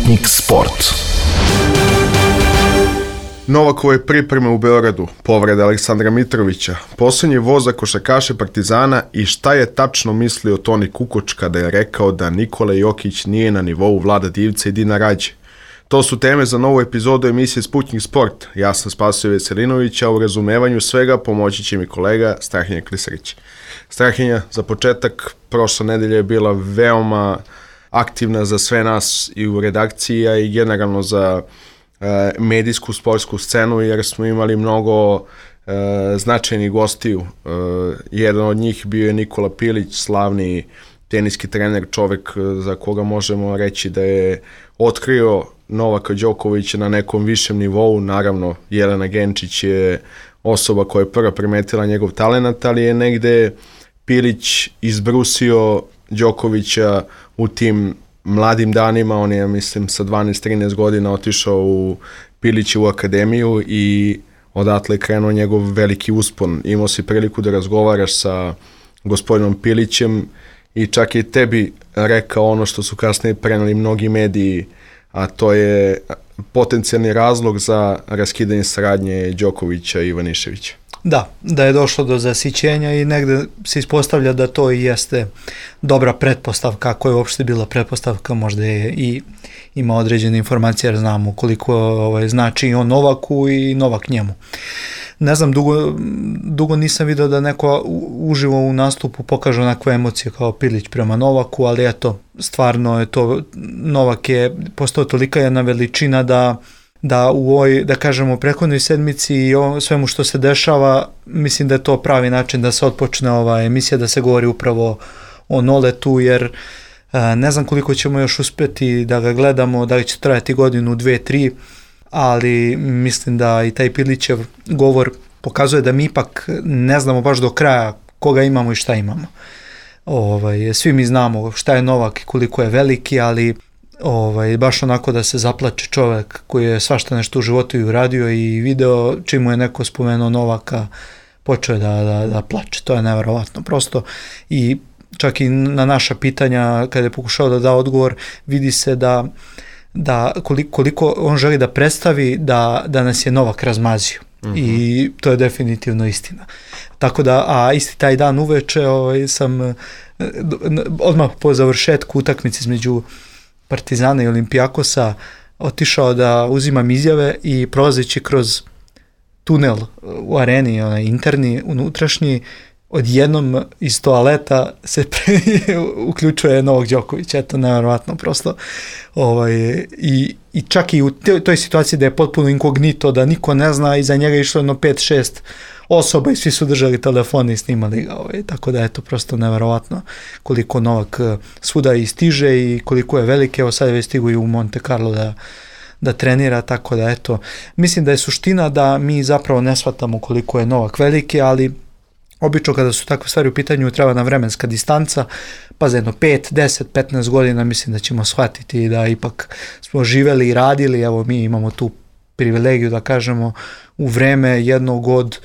Sputnik Sport. Novakove pripreme u Beogradu, povreda Aleksandra Mitrovića, posljednji voz za košarkaše Partizana i šta je tačno mislio Toni Kukoč kada je rekao da Nikola Jokić nije na nivou Vlada Divca i Dina Rađe. To su teme za novu epizodu emisije Sputnik Sport. Ja sam Spasoje Veselinović, a u razumevanju svega pomoći će mi kolega Strahinja Klisarić. Strahinja, za početak, prošla nedelja je bila veoma aktivna za sve nas i u redakciji, a i generalno za medijsku sportsku scenu, jer smo imali mnogo značajnih gostiju. Jedan od njih bio je Nikola Pilić, slavni teniski trener, čovek za koga možemo reći da je otkrio Novaka Đokovića na nekom višem nivou. Naravno, Jelena Genčić je osoba koja je prva primetila njegov talent, ali je negde Pilić izbrusio Đokovića u tim mladim danima. On je, mislim, sa 12-13 godina otišao u Pilićevu akademiju i odatle je krenuo njegov veliki uspon. Imao si priliku da razgovaraš sa gospodinom Pilićem i čak i tebi rekao ono što su kasnije preneli mnogi mediji, a to je potencijalni razlog za raskidanje saradnje Đokovića i Ivaniševića. Da je došlo do zasićenja i negde se ispostavlja da to i jeste dobra pretpostavka, ako je uopšte bila pretpostavka, možda je i ima određene informacije, jer znamo koliko znači on Novaku i Novak njemu. Ne znam, dugo nisam vidio da neko uživo u nastupu pokaže onakve emocije kao Pilić prema Novaku, ali eto, stvarno je to, Novak je postao tolika jedna veličina da u ovoj, da kažemo, prethodnoj sedmici i svemu što se dešava, mislim da je to pravi način da se otpočne ova emisija, da se govori upravo o Noletu, jer ne znam koliko ćemo još uspjeti da ga gledamo, da će trajati godinu, 2, 3, ali mislim da i taj Pilićev govor pokazuje da mi ipak ne znamo baš do kraja koga imamo i šta imamo. Svi mi znamo šta je Novak i koliko je veliki, ali baš onako da se zaplače čovjek koji je svašta nešto u životu i uradio i video, čim mu je neko spomenuo Novaka, počeo je da plače. To je nevjerovatno prosto. I čak i na naša pitanja, kada je pokušao da da odgovor, vidi se da koliko on želi da predstavi da nas je Novak razmazio. I to je definitivno istina. Tako da, a isti taj dan uveče sam odmah po završetku utakmice između Partizana i Olimpijakosa otišao da uzimam izjave i prolazeći kroz tunel u areni, onaj interni, unutrašnji, odjednom iz toaleta se uključuje Novak Đoković. Eto, nevjerovatno prosto. I čak i u toj situaciji da je potpuno inkognito, da niko ne zna, iza njega je išlo 5-6 osoba i svi su držali telefone i snimali ga. Tako da je to prosto nevjerovatno koliko Novak svuda i stiže i koliko je velike. Evo sad je već stigu i u Monte Carlo da trenira, tako da eto. Mislim da je suština da mi zapravo ne shvatamo koliko je Novak veliki, ali obično kada su takve stvari u pitanju treba nam vremenska distanca, pa za jedno 5, 10, 15 godina mislim da ćemo shvatiti da ipak smo živeli i radili. Evo, mi imamo tu privilegiju da kažemo u vreme jednog od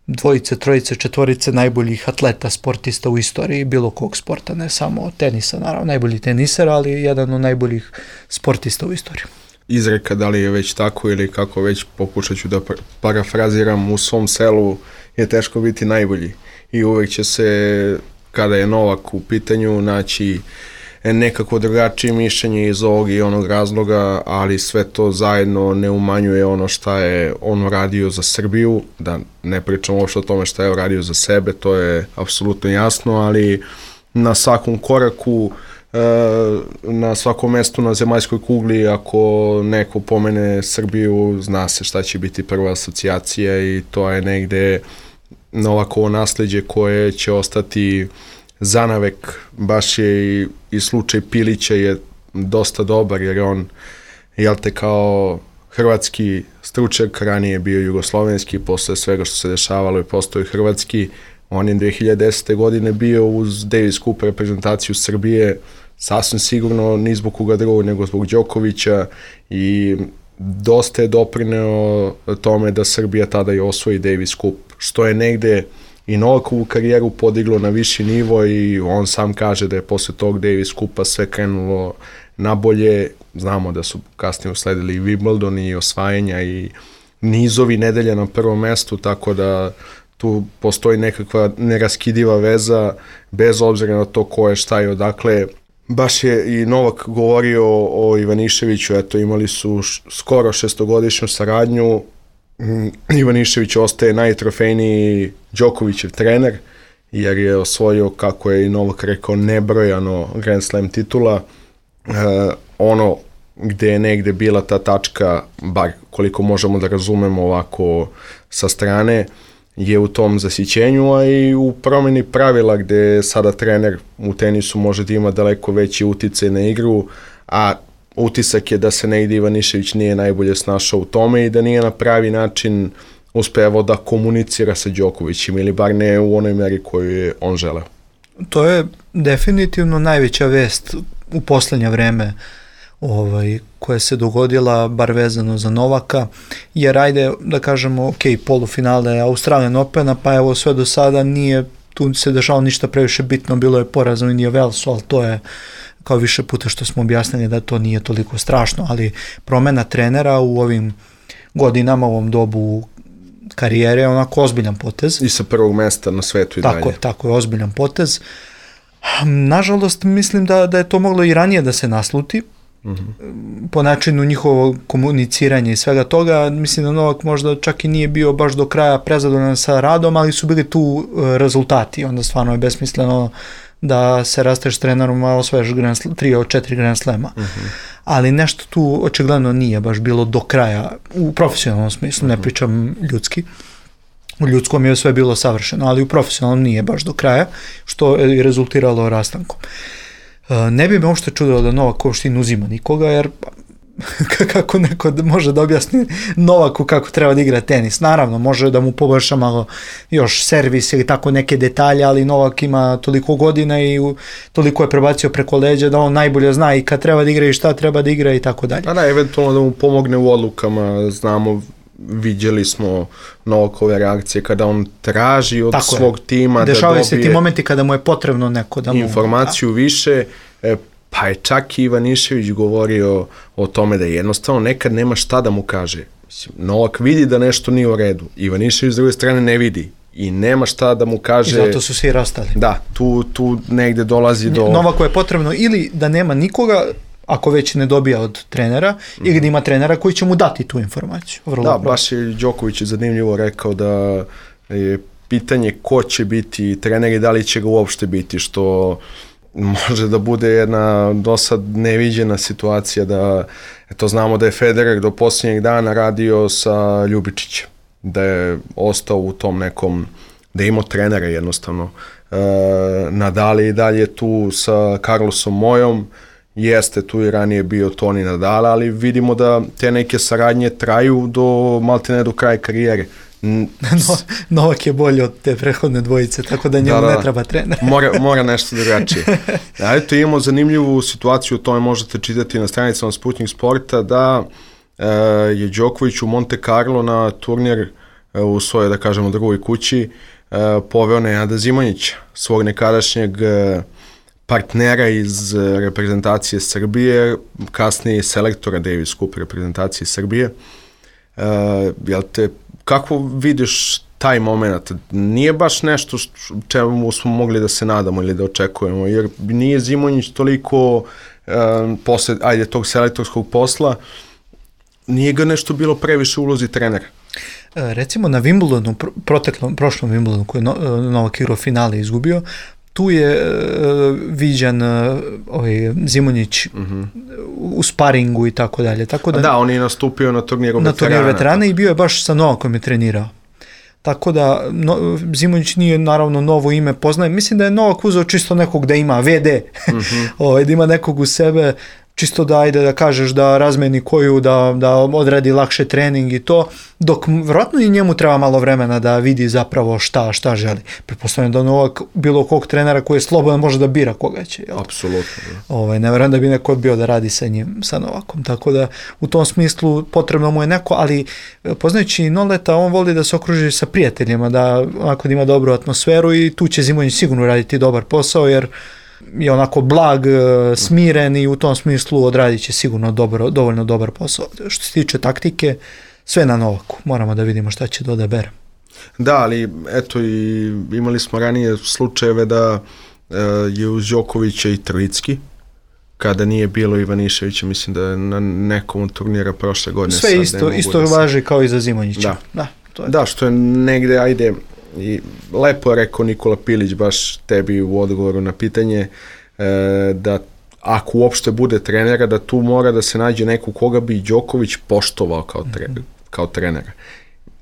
2, 3, 4 najboljih atleta, sportista u istoriji bilo kog sporta, ne samo tenisa, naravno najbolji teniser, ali jedan od najboljih sportista u istoriji. Izreka, da li je već tako ili kako već, pokušat ću da parafraziram, u svom selu je teško biti najbolji i uvek će se, kada je Novak u pitanju, naći nekako drugačije mišljenje iz ovog i onog razloga, ali sve to zajedno ne umanjuje ono šta je on radio za Srbiju, da ne pričam uopšte o tome šta je radio za sebe, to je apsolutno jasno, ali na svakom koraku, na svakom mestu na zemaljskoj kugli, ako neko pomene Srbiju, zna se šta će biti prva asocijacija i to je negde Novakovo nasleđe koje će ostati zanavek. Baš je i slučaj Pilića je dosta dobar, jer on, kao hrvatski stručnjak, ranije bio jugoslovenski, posle svega što se dešavalo je postao hrvatski. On je 2010. godine bio uz Davis Cup reprezentaciju Srbije, sasvim sigurno ni zbog koga drugog nego zbog Đokovića, i dosta je doprineo tome da Srbija tada i osvoji Davis Cup, što je negde i Novakovu karijeru podiglo na viši nivo i on sam kaže da je posle tog Davis Cupa sve krenulo nabolje. znamo da su kasnije usledili i Wimbledon i osvajanja i nizovi nedelja na prvom mestu, tako da tu postoji nekakva neraskidiva veza bez obzira na to ko je šta i odakle. Baš je i Novak govorio o Ivaniševiću, eto imali su skoro 6-godišnju saradnju. Ivanišević ostaje najtrofejniji Đokovićev trener, jer je osvojio, kako je i Novak rekao, nebrojano Grand Slam titula. Ono gde je negde bila ta tačka, bar koliko možemo da razumemo ovako sa strane, je u tom zasićenju, a i u promjeni pravila gde sada trener u tenisu može da ima daleko veći uticaj na igru, a utisak je da se negde Ivanišević nije najbolje snašao u tome i da nije na pravi način uspevao da komunicira sa Đokovićem, ili bar ne u onoj meri koju je on želeo. To je definitivno najveća vest u poslednje vreme koja se dogodila, bar vezano za Novaka, jer ajde da kažemo, ok, polufinale Australian Opena, pa evo sve do sada nije tu se dešalo ništa previše bitno, bilo je poraz u Indian Wellsu, ali to je kao više puta što smo objasnili da to nije toliko strašno, ali promena trenera u ovim godinama, u ovom dobu karijere je onako ozbiljan potez. I sa prvog mesta na svetu i dalje. Tako je, ozbiljan potez. Nažalost, mislim da je to moglo i ranije da se nasluti, po načinu njihovog komuniciranja i svega toga. Mislim da Novak možda čak i nije bio baš do kraja prezadovoljan sa radom, ali su bili tu rezultati, onda stvarno je besmisleno da se rasteš trenerom, a osvajaš 3 od 4 Grand Slema. Ali nešto tu očigledno nije baš bilo do kraja, u profesionalnom smislu, ne pričam ljudski. U ljudskom je sve bilo savršeno, ali u profesionalnom nije baš do kraja, što je rezultiralo rastankom. Ne bi me uopšte čudilo da Novak uopšte ne uzima nikoga, jer kako neko može da objasni Novaku kako treba da igra tenis. Naravno, može da mu poboljša malo još servis ili tako neke detalje, ali Novak ima toliko godina i toliko je prebacio preko leđa da on najbolje zna i kad treba da igra i šta treba da igra i tako dalje. Da, eventualno da mu pomogne u odlukama, znamo, vidjeli smo Novakove reakcije kada on traži od svog tima da dešavaju se ti momenti kada mu je potrebno neko da mu informaciju više, pa je čak i Ivanišević govorio o tome da jednostavno nekad nema šta da mu kaže. Novak vidi da nešto nije u redu, Ivanišević s druge strane ne vidi i nema šta da mu kaže. I zato su svi rastali. Da, tu negde dolazi do... Novaku je potrebno ili da nema nikoga, ako već ne dobija od trenera, ili da ima trenera koji će mu dati tu informaciju. Baš je Đoković zanimljivo rekao da je pitanje ko će biti trener i da li će ga uopšte biti, što može da bude jedna dosad neviđena situacija da, eto znamo da je Federer do posljednjeg dana radio sa Ljubičićem, da je ostao u tom nekom, da je imao trenera jednostavno. Nadal je i dalje tu sa Carlosom Mojom, jeste tu i ranije bio Toni Nadal, ali vidimo da te neke saradnje traju do maltene do kraja karijere. Novak je bolji od te prethodne dvojice, tako da njemu ne treba trener. mora nešto drugačije. Eto, imamo zanimljivu situaciju, o tome možete čitati na stranicama Sputnik Sporta, da je Đoković u Monte Carlo na turnir u svojoj, da kažemo, drugoj kući poveo Nenada Zimonjića, svog nekadašnjeg partnera iz reprezentacije Srbije, kasnije selektora Davis Cup reprezentacije Srbije. Kako vidiš taj moment? Nije baš nešto čemu smo mogli da se nadamo ili da očekujemo, jer nije Zimonjić toliko posle, tog selektorskog posla, nije ga nešto bilo previše u ulozi trenera. Recimo na Wimbledonu, prošlom Wimbledonu koji je Novak igrao finale izgubio, tu je viđan Zimonjić u sparingu i tako dalje. Da, on je nastupio na turniru veterana i bio je baš sa Novakom je trenirao. Tako da Zimonjić nije naravno novo ime poznaje. Mislim da je Novak uzeo čisto nekog da ima VD, da ima nekog u sebe, čisto da ajde da kažeš da razmeni koju, da odradi lakše trening i to, dok vjerojatno i njemu treba malo vremena da vidi zapravo šta želi. Pretpostavljam da Novak bilo kog trenera koji je slobodan može da bira koga će. Apsolutno. Ne vjerujem da bi neko odbio da radi sa njim, sa Novakom. Tako da u tom smislu potrebno mu je neko, ali poznajući Noleta, on voli da se okruži sa prijateljima, da onako da ima dobru atmosferu i tu će Zimonjić sigurno raditi dobar posao, jer je onako blag, smiren i u tom smislu odradit će sigurno dovoljno dobar posao. Što se tiče taktike, sve na Novaku. Moramo da vidimo šta će odabere. Da, ali eto i imali smo ranije slučajeve da je uz Đokovića i Trojicki, kada nije bilo Ivaniševića, mislim da je na nekom turnira prošle godine. Sve isto važi kao i za Zimonjića. Da, što je negde, ajde, i lepo je rekao Nikola Pilić baš tebi u odgovoru na pitanje, da ako uopšte bude trenera, da tu mora da se nađe neko koga bi Đoković poštovao kao trenera.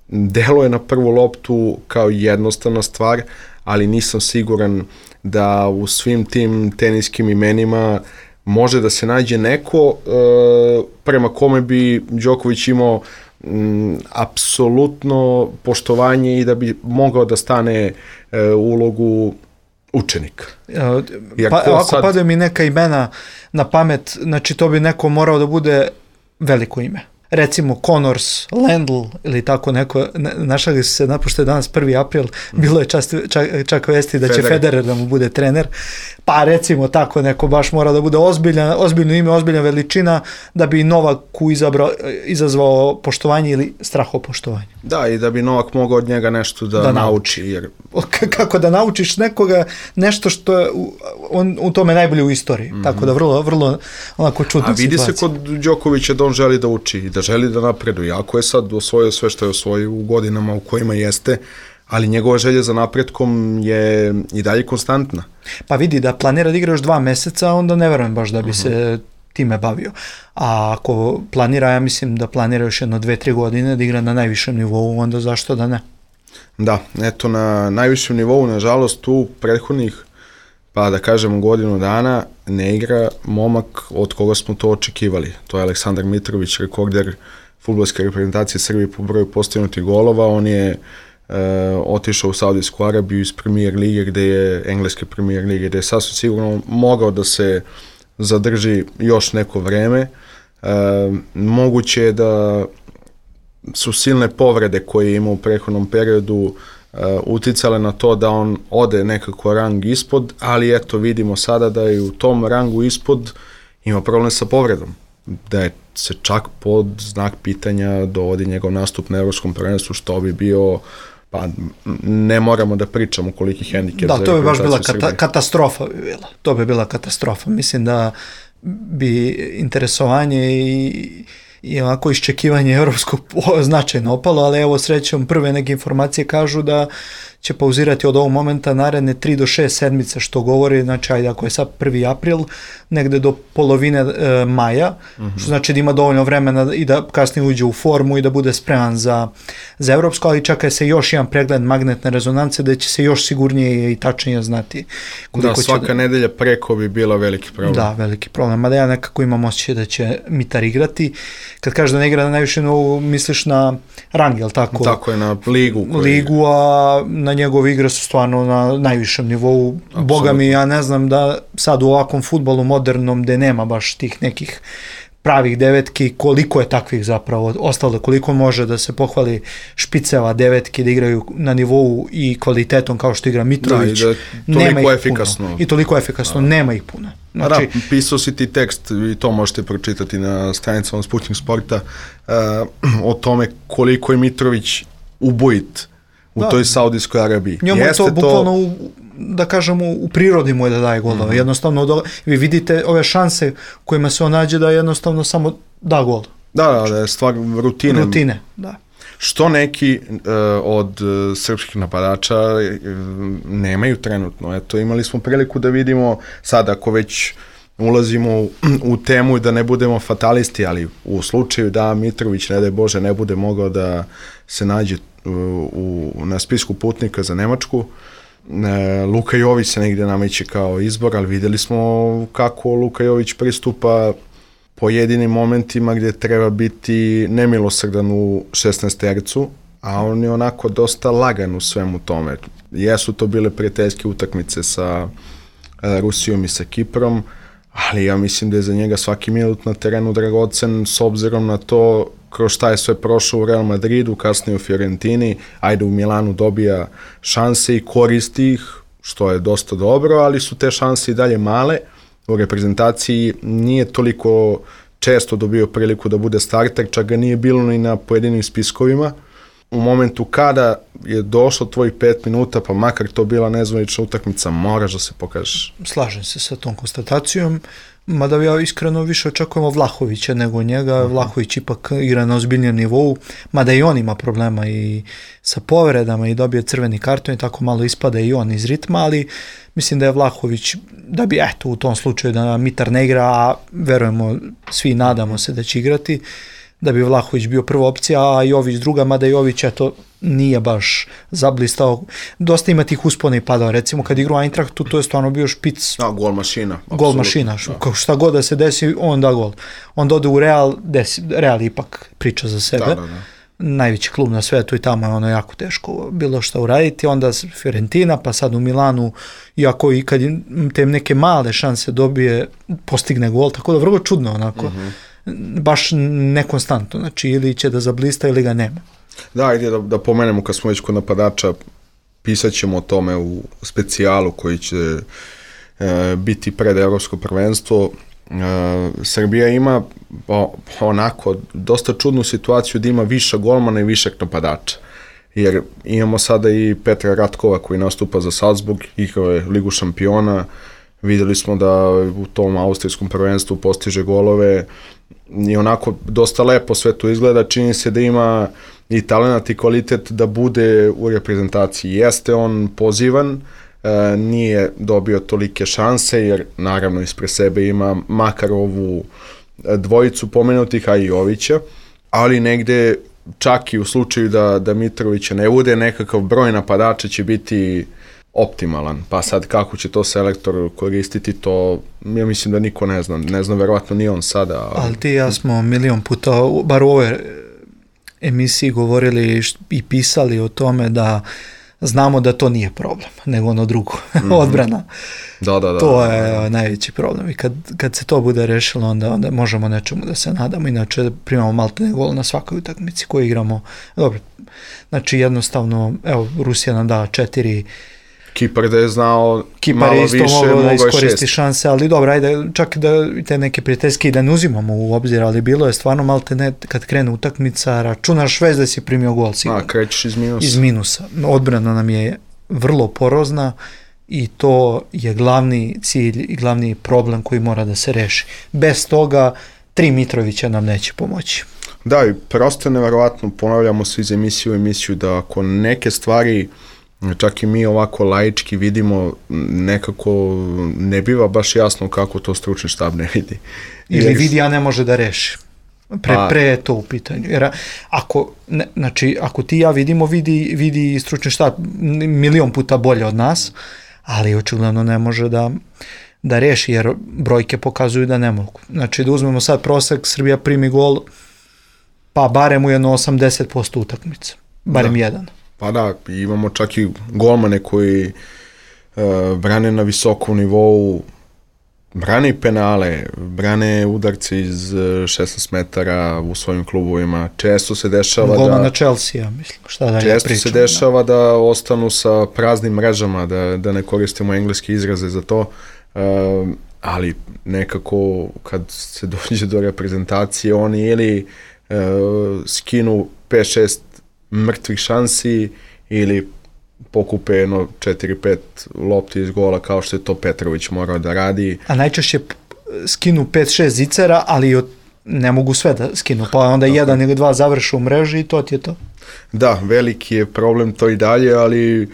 Delo je na prvu loptu kao jednostavna stvar, ali nisam siguran da u svim tim teniskim imenima može da se nađe neko prema kome bi Đoković imao apsolutno poštovanje i da bi mogao da stane u ulogu učenika. Ako padaju mi neka imena na pamet, znači to bi neko morao da bude veliko ime. Recimo Connors, Lendl ili tako neko, našali su se napošto je danas 1. april, bilo je čak vesti da će Federer da mu bude trener, pa recimo tako neko baš mora da bude ozbiljno ime, ozbiljna veličina da bi Novaku izazvao poštovanje ili strahopoštovanje. Da, i da bi Novak mogao od njega nešto da nauči. Jer... Kako da naučiš nekoga nešto što je on u tome najbolje u istoriji, tako da vrlo onako čudna situacija. A vidi se kod Đokovića da on želi da uči i da želi da napreduje. Ako je sad osvojio sve što je osvojio u godinama u kojima jeste, ali njegova želja za napretkom je i dalje konstantna. Pa vidi, da planira da igra još 2 meseca, onda ne verujem baš da bi se time bavio. A ako planira, ja mislim da planira još 2-3 godine da igra na najvišem nivou, onda zašto da ne? Da, eto, na najvišem nivou, nažalost, u prethodnih, pa da kažemo godinu dana, ne igra momak od koga smo to očekivali. To je Aleksandar Mitrović, rekorder fudbalske reprezentacije Srbije po broju postignutih golova. On je otišao u Saudijsku Arabiju iz Premier lige, engleske Premier lige, gde je sasvim sigurno mogao da se zadrži još neko vreme. Moguće je da su silne povrede koje je imao u prethodnom periodu uticale na to da on ode nekako rang ispod, ali eto vidimo sada da je u tom rangu ispod ima problem sa povredom, da je se čak pod znak pitanja dovodi njegov nastup na Evropskom prvenstvu, što bi bio, pa ne moramo da pričamo koliki hendikep. Da, to bi baš bila katastrofa bi bila. To bi bila katastrofa. Mislim da bi interesovanje i ovako iščekivanje evropskog značajno opalo, ali evo srećom prve neke informacije kažu da će pauzirati od ovog momenta naredne 3 do 6 sedmice, što govori, znači ajde ako je sad 1. april, negde do polovine maja, što znači da ima dovoljno vremena i da kasnije uđe u formu i da bude spreman za evropsko, ali čeka se još jedan pregled magnetne rezonance da će se još sigurnije i tačnije znati. Da, svaka nedelja preko bi bila veliki problem. Da, veliki problem, mada ja nekako imam osjećaj da će Mitar igrati. Kad kažeš da ne igra na najviše nivou, misliš na rang, jel tako? Tako je, na ligu. Ligu, a na njegove igre su stvarno na najvišem nivou. Absolutno. Boga mi, ja ne znam da sad u ovakvom fudbalu modernom gde nema baš tih nekih pravih devetki, koliko je takvih zapravo ostalo, koliko može da se pohvali špiceva devetki da igraju na nivou i kvalitetom kao što igra Mitrović. Da, i toliko efikasno. Puno. I toliko efikasno, nema ih puno. Znači, da, pisao si ti tekst i to možete pročitati na stranicama Sputnik Sporta o tome koliko je Mitrović ubojit u toj Saudijskoj Arabiji. Njemu je to bukvalno, da kažemo, u prirodi mu je da daje golove. Jednostavno, vi vidite ove šanse kojima se on nađe da jednostavno samo da gol. Da je stvar rutine. Rutine, da. Što neki od srpskih napadača nemaju trenutno. Eto, imali smo priliku da vidimo sad, ako već ulazimo u temu i da ne budemo fatalisti, ali u slučaju da Mitrović, ne daj Bože, ne bude mogao da se nađe na spisku putnika za Nemačku, Luka Jović se negdje nameće kao izbor, ali vidjeli smo kako Luka Jović pristupa pojedinim momentima gdje treba biti nemilosrdan u 16-tercu, a on je onako dosta lagan u svemu tome. Jesu to bile prijateljske utakmice sa Rusijom i sa Kiprom, ali ja mislim da je za njega svaki minut na terenu dragocen s obzirom na to kroz šta je sve prošao u Real Madridu, kasnije u Fiorentini, ajde u Milanu dobija šanse i koristi ih, što je dosta dobro, ali su te šanse i dalje male. U reprezentaciji nije toliko često dobio priliku da bude starter, čak ga nije bilo ni na pojedinim spiskovima. U momentu kada je došlo tvojih 5 minuta, pa makar to bila nezvanična utakmica, moraš da se pokažeš. Slažem se sa tom konstatacijom, mada ja iskreno više očekujemo Vlahovića nego njega. Vlahović ipak igra na ozbiljnijem nivou, mada i on ima problema i sa povredama i dobije crveni karton i tako malo ispada i on iz ritma, ali mislim da je Vlahović, da bi u tom slučaju da Mitar ne igra, a verujemo, svi nadamo se da će igrati, da bi Vlahović bio prva opcija, a Jović druga, mada Jović nije baš zablistao. Dosta ima tih uspona i padao. Recimo kad igra u Eintrachtu, to je stvarno bio špic. Gol mašina. Gol mašina. Šta god da se desi, on da gol. On ode u Real, Real ipak priča za sebe. Da. Najveći klub na svetu i tamo je ono jako teško bilo šta uraditi. Onda Fiorentina, pa sad u Milanu, iako i kad te neke male šanse dobije, postigne gol, tako da vrlo čudno onako. Baš nekonstantno, znači ili će da zablista ili ga nema. Da, ajde da pomenemo kad smo već kod napadača, pisat ćemo o tome u specijalu koji će biti pred Evropsko prvenstvo. Srbija ima onako dosta čudnu situaciju da ima više golmana i više napadača. Jer imamo sada i Petra Ratkova koji nastupa za Salzburg, igrao je Ligu šampiona, videli smo da u tom austrijskom prvenstvu postiže golove i onako dosta lepo sve to izgleda, čini se da ima i talenat i kvalitet da bude u reprezentaciji. Jeste on pozivan, nije dobio tolike šanse jer naravno ispred sebe ima makar ovu dvojicu pomenutih, a i Jovića, ali negde čak i u slučaju da Mitrovića ne bude, nekakav broj napadača će biti optimalan, pa sad kako će to selektor koristiti, to ja mislim da niko ne zna, verovatno ni on sada. Ali ti ja smo milion puta, bar u ovoj emisiji govorili i pisali o tome da znamo da to nije problem, nego ono drugo, odbrana. Da. To je najveći problem i kad se to bude rešilo, onda možemo nečemu da se nadamo, inače primamo maltene gol na svakoj utakmici koju igramo. Dobro, znači jednostavno, evo, Rusija nam da 4. Kipar da je znao Kipar malo više, mogao da iskoristi šanse, ali dobro, ajde, čak da te neke prijateljske i da ne uzimamo u obzir, ali bilo je stvarno maltene kad krene utakmica, računaš već da si primio gol sigurno. Krećeš iz minusa. Iz minusa. Odbrana nam je vrlo porozna i to je glavni cilj i glavni problem koji mora da se reši. Bez toga 3 Mitrovića nam neće pomoći. Da, i prosto neverovatno, ponavljamo se iz emisiju u emisiju, da ako neke stvari čak i mi ovako laički vidimo, nekako ne biva baš jasno kako to stručni štab ne vidi. Ili vidi, a ne može da reši. Pre je to u pitanju. Jer ako ti ja vidimo, vidi stručni štab milion puta bolje od nas, ali očigledno ne može da reši, jer brojke pokazuju da ne mogu. Znači da uzmemo sad prosek, Srbija primi gol, pa barem u jedno 80% utakmice. Barem jedan. Pa da, imamo čak i golmane koji brane na visokom nivou, brane i penale, brane udarce iz 16 metara u svojim klubovima. Često se dešava golman na Chelsea, mislim, šta da često pričam, se dešava da ostanu sa praznim mrežama, da ne koristimo engleske izraze za to, ali nekako kad se dođe do reprezentacije, oni ili skinu 5-6 mrtvih šansi ili pokupe 4-5 lopti iz gola kao što je to Petrović morao da radi. A najčešće skinu 5-6 zicera, ali ne mogu sve da skinu, pa onda jedan ili dva završu u mreži i to ti je to. Da, veliki je problem to i dalje, ali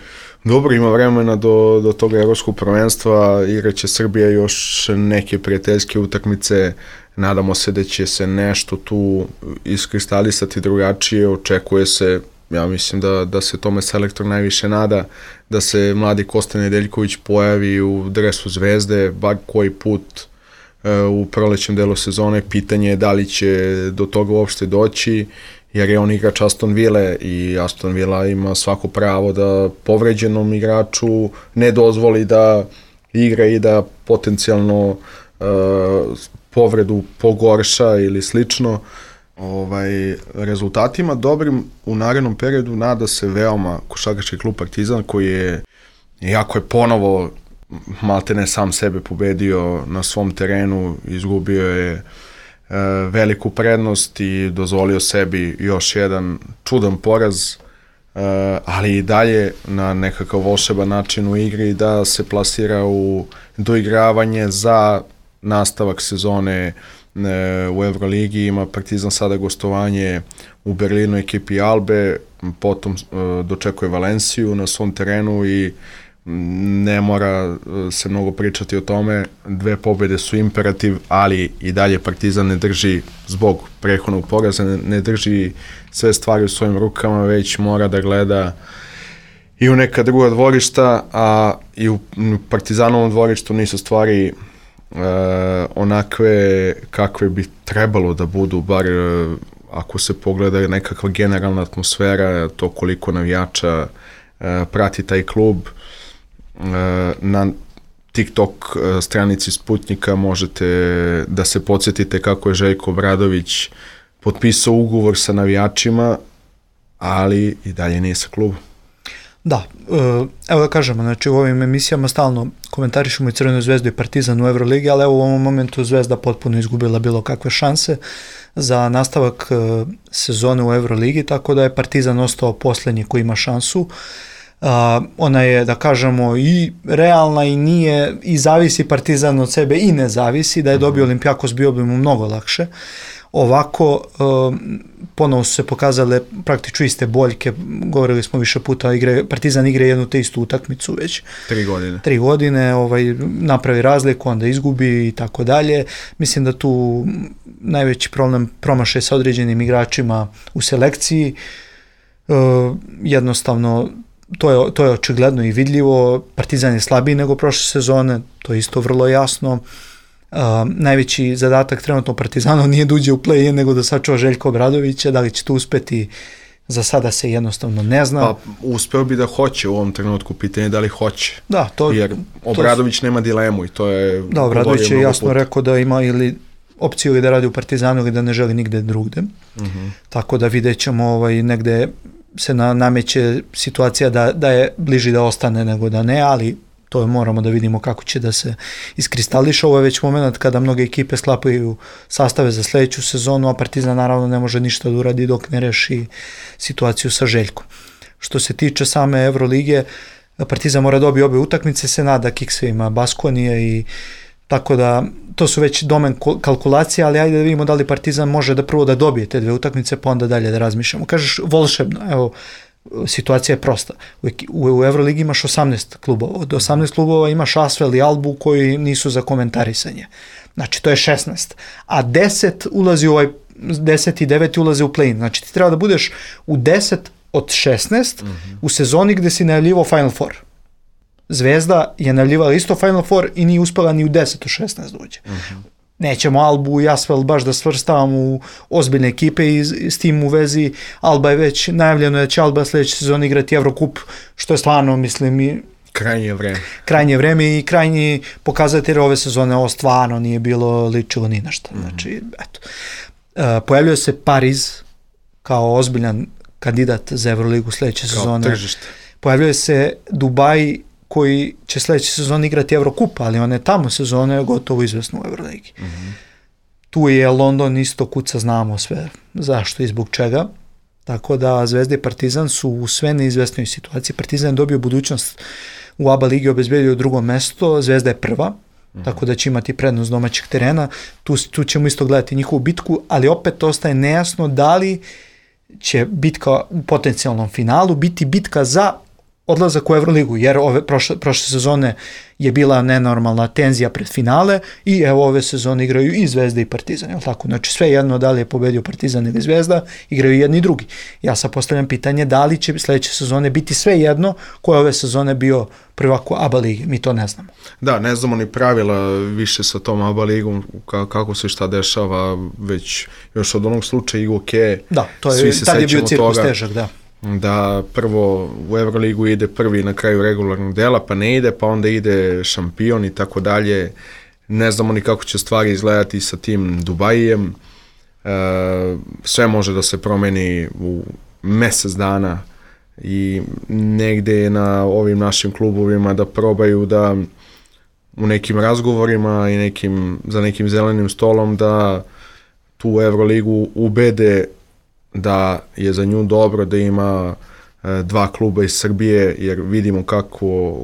dobro, ima vremena do toga evropskog prvenstva, igraće Srbija još neke prijateljske utakmice, nadamo se da će se nešto tu iskristalisati drugačije, očekuje se, ja mislim da se tome selektor najviše nada, da se mladi Kosta Nedeljković pojavi u dresu Zvezde, bar koji put u prolećem delu sezone. Pitanje je da li će do toga uopšte doći, jer je on igrač Aston Ville i Aston Villa ima svako pravo da povređenom igraču ne dozvoli da igra i da potencijalno povredu pogorša ili slično. Rezultatima dobrim u narednom periodu nada se veoma košarkaški klub Partizan, koji je iako je ponovo maltene sam sebe pobedio na svom terenu, izgubio je veliku prednost i dozvolio sebi još jedan čudan poraz, ali i dalje na nekakav volšeban način u igri da se plasira u doigravanje za nastavak sezone u Euroligi. Ima Partizan sada gostovanje u Berlinu ekipi Albe, potom dočekuje Valenciju na svom terenu i ne mora se mnogo pričati o tome. 2 pobjede su imperativ, ali i dalje Partizan ne drži, zbog prethodnog poraza, ne drži sve stvari u svojim rukama, već mora da gleda i u neka druga dvorišta, a i u Partizanovom dvorištu nisu stvari onakve kakve bi trebalo da budu, bar ako se pogleda nekakva generalna atmosfera, to koliko navijača prati taj klub. Na TikTok stranici Sputnika možete da se podsjetite kako je Željko Obradović potpisao ugovor sa navijačima, ali i dalje nije sa klubom. Da, evo da kažemo, znači u ovim emisijama stalno komentarišemo i Crvenu zvezdu i Partizan u Euroligi, ali evo u ovom momentu Zvezda potpuno izgubila bilo kakve šanse za nastavak sezone u Euroligi, tako da je Partizan ostao posljednji koji ima šansu. Ona je, da kažemo, i realna i nije, i zavisi Partizan od sebe i ne zavisi. Da je dobio Olimpijakos bio bi mu mnogo lakše. Ovako, ponovo su se pokazale praktično iste boljke, govorili smo više puta, Partizan igra jednu te istu utakmicu već 3 godine, napravi razliku, onda izgubi i tako dalje. Mislim da tu najveći problem promašaj sa određenim igračima u selekciji, jednostavno to je očigledno i vidljivo. Partizan je slabiji nego prošle sezone, to je isto vrlo jasno. Najveći zadatak trenutno Partizanu nije da uđe u play-in, nego da sačuva Željka Obradovića. Da li će to uspeti, za sada se jednostavno ne zna. Pa uspeo bi da hoće u ovom trenutku, pitanje da li hoće. Da, jer Obradović nema dilemu i to je... Da, Obradović je jasno rekao da ima ili opciju ili da radi u Partizanu ili da ne želi nigde drugde. Tako da vidjet ćemo, negde se nameće situacija da je bliži da ostane nego da ne, ali to moramo da vidimo kako će da se iskristališe. Ovo je već moment kada mnoge ekipe sklapaju sastave za sljedeću sezonu, a Partizan naravno ne može ništa da uradi dok ne reši situaciju sa Željkom. Što se tiče same Evrolige, Partizan mora dobiti obe utakmice, se nada kiksevima Baskonije, i tako da to su već domen kalkulacija, ali ajde da vidimo da li Partizan može da prvo da dobije te 2 utakmice, pa onda dalje da razmišljamo. Kažeš volšebno, evo, situacija je prosta. U Euroligi imaš 18 klubova. Od 18 klubova imaš Asvel i Albu koji nisu za komentarisanje. Znači, to je 16. A 10 ulazi u 10 i 9 ulaze u play-in. Znači, ti treba da budeš u 10 od 16 u sezoni gde si najavljivao Final Four. Zvezda je najavljivala isto Final Four i nije uspela ni u 10 od 16 da uđe. Nećemo Albu i Asvel baš da svrstavamo u ozbiljne ekipe, i s tim u vezi Alba je već najavljeno da će Alba sljedeće sezone igrati Evrokup, što je stvarno, mislim, krajnje vreme i krajnji pokazatelj ove sezone. Ovo stvarno nije bilo ličilo ni na šta. Znači, eto. Pojavljuje se Pariz kao ozbiljan kandidat za Evroligu sljedeće sezone. Tržište. Pojavljuje se Dubaj koji će sljedeće sezone igrati Evrokup, ali one tamo sezone gotovo izvesno u Euroligi. Tu je London isto kuca, znamo sve zašto i zbog čega. Tako da Zvezda i Partizan su u sve neizvesnoj situaciji. Partizan je dobio budućnost u ABA ligi, obezbedio 2. mesto, Zvezda je 1. Tako da će imati prednost domaćeg terena. Tu ćemo isto gledati njihovu bitku, ali opet ostaje nejasno da li će bitka u potencijalnom finalu biti bitka za odlazak u Euroligu, jer prošle sezone je bila nenormalna tenzija pred finale i evo ove sezone igraju i Zvezda i Partizan, je li tako? Znači sve jedno da li je pobedio Partizan ili Zvezda, igraju jedni i drugi. Ja sad postavljam pitanje da li će sljedeće sezone biti sve jedno koje ove sezone bio prvak u ABA ligi, mi to ne znamo. Da, ne znamo ni pravila više sa tom ABA ligom, kako se šta dešava, već još od onog slučaja Igoke, da, to je, tad je bio cirkus težak, da prvo u Euroligu ide prvi na kraju regularnog dela, pa ne ide, pa onda ide šampion i tako dalje. Ne znamo ni kako će stvari izgledati sa tim Dubajijem. Sve može da se promeni u mjesec dana i negde na ovim našim klubovima da probaju da u nekim razgovorima i za nekim zelenim stolom da tu Euroligu ubede da je za nju dobro da ima dva kluba iz Srbije, jer vidimo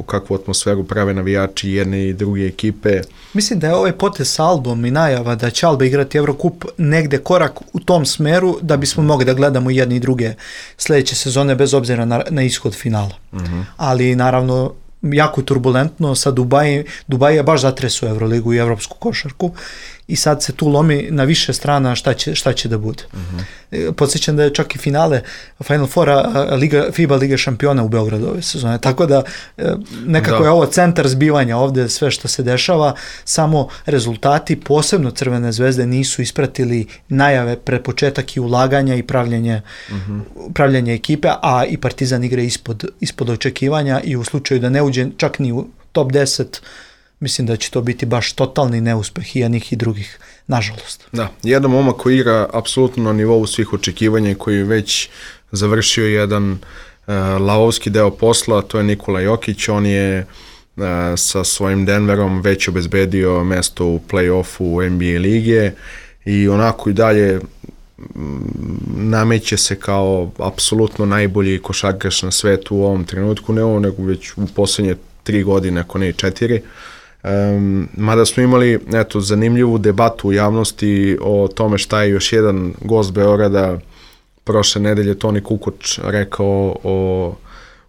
kakvu atmosferu prave navijači jedne i druge ekipe. Mislim da je ovaj potez sa Albom i najava da će Alba igrati Evrokup negde korak u tom smeru da bismo mogli da gledamo jedne i druge sledeće sezone bez obzira na ishod finala. Ali naravno jako turbulentno sa Dubai je baš zatresao Euroligu i evropsku košarku i sad se tu lomi na više strana šta će da bude. Podsjećam da je čak i finale Final Fora FIBA Lige šampiona u Beogradu ove sezone, tako da nekako je ovo centar zbivanja ovde sve što se dešava, samo rezultati, posebno Crvene zvezde, nisu ispratili najave pred početak i ulaganja i pravljanje ekipe, a i Partizan igra ispod očekivanja i u slučaju da ne uđe čak ni u top 10, mislim da će to biti baš totalni neuspeh i jednih i drugih, nažalost. Da, jedan momak koji igra apsolutno na nivou svih očekivanja i koji je već završio jedan lavovski deo posla, to je Nikola Jokić. On je sa svojim Denverom već obezbedio mesto u play-offu NBA lige i onako i dalje nameće se kao apsolutno najbolji košarkaš na svetu u ovom trenutku, ne ovo, nego već u poslednje 3 godine, ako ne i 4. Mada smo imali zanimljivu debatu u javnosti o tome šta je još jedan gost Beograda prošle nedelje, Toni Kukoč, rekao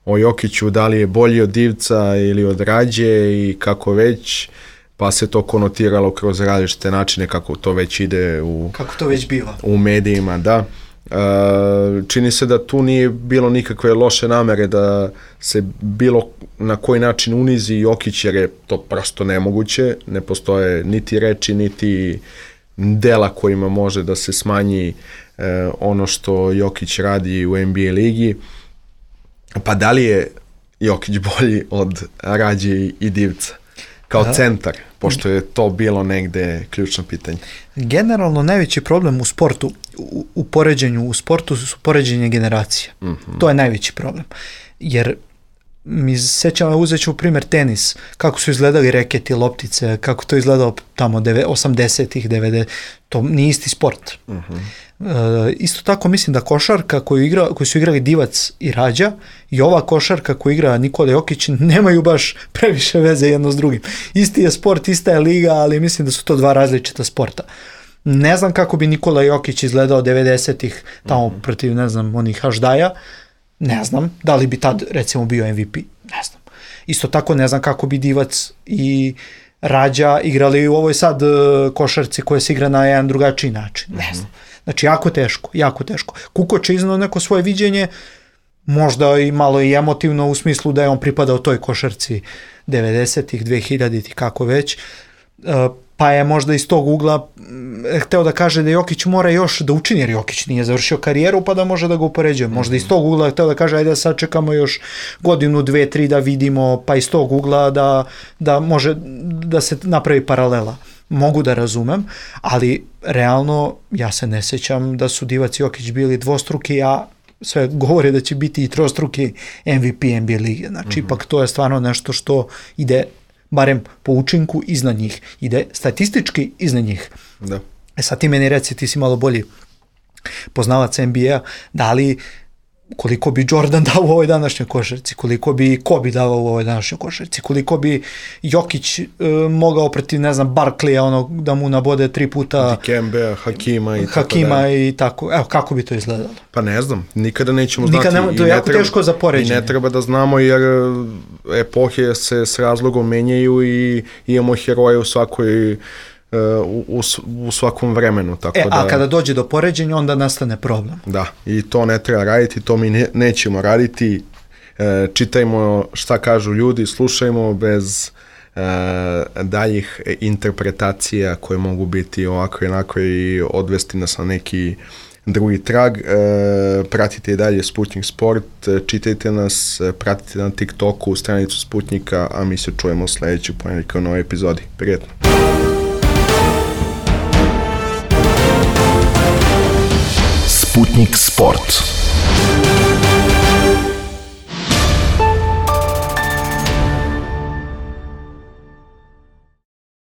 o Jokiću, da li je bolji od Divca ili od Rađe i kako već, pa se to konotiralo kroz različite načine kako to već ide kako to već biva u medijima, da. Čini se da tu nije bilo nikakve loše namere da se bilo na koji način unizi Jokić, jer je to prosto nemoguće, ne postoje niti reči niti dela kojima može da se smanji ono što Jokić radi u NBA ligi. Pa da li je Jokić bolji od Rađe i Divca kao centar, pošto je to bilo negde ključno pitanje? Generalno najveći problem u sportu, u poređenju u sportu su poređenje generacija. To je najveći problem. Jer mi sećamo, uzet ću primjer tenis, kako su izgledali reketi, loptice, kako to izgledalo tamo 80-ih, 90-ih, to nije isti sport. Isto tako mislim da košarka koju su igrali Divac i Rađa i ova košarka koju igra Nikola Jokić nemaju baš previše veze jedno s drugim. Isti je sport, ista je liga, ali mislim da su to dva različita sporta. Ne znam kako bi Nikola Jokić izgledao 90-ih tamo protiv, ne znam, onih Haždaja, ne znam, da li bi tad recimo bio MVP, ne znam. Isto tako ne znam kako bi Divac i Rađa igrali u ovoj sad košarci koja se igra na jedan drugačiji način, ne znam. Znači jako teško. Kukoč je iznao neko svoje viđenje, možda i malo i emotivno u smislu da je on pripadao toj košarci 90-ih, 2000-ih, kako već, pa je možda iz tog ugla hteo da kaže da Jokić mora još da učini, jer Jokić nije završio karijeru pa da može da ga upoređuje. Možda iz tog ugla hteo da kaže ajde da sad čekamo još godinu, 2, 3 da vidimo, pa iz tog ugla da može da se napravi paralela. Mogu da razumem, ali realno ja se ne sećam da su Divac i Jokić bili dvostruki, a sve govore da će biti i trostruki MVP NBA lige. Znači, ipak to je stvarno nešto što ide, barem po učinku, iznad njih. Ide statistički iznad njih. Da. Sad ti meni reci, ti si malo bolji poznavac NBA, da li koliko bi Jordan dao u ovoj današnjoj košarci, koliko bi Kobe dao u ovoj današnjoj košarci, koliko bi Jokić mogao protiv, ne znam, Barkleya, da mu nabode 3 puta Dikembea, Hakima i tako. Evo, kako bi to izgledalo? Pa ne znam, nikada nećemo znati. To je jako teško za poređenje. I ne treba da znamo, jer epohe se s razlogom menjaju i imamo heroje u svakoj u svakom vremenu. Tako a kada dođe do poređenja, onda nastane problem. Da, i to ne treba raditi, to mi nećemo raditi. Čitajmo šta kažu ljudi, slušajmo bez daljih interpretacija koje mogu biti ovako i onako i odvesti nas na neki drugi trag. Pratite i dalje Sputnik Sport, čitajte nas, pratite na TikToku stranicu Sputnika, a mi se čujemo sledećeg ponedjeljka u novoj epizodi. Prijetno! Sputnik Sport.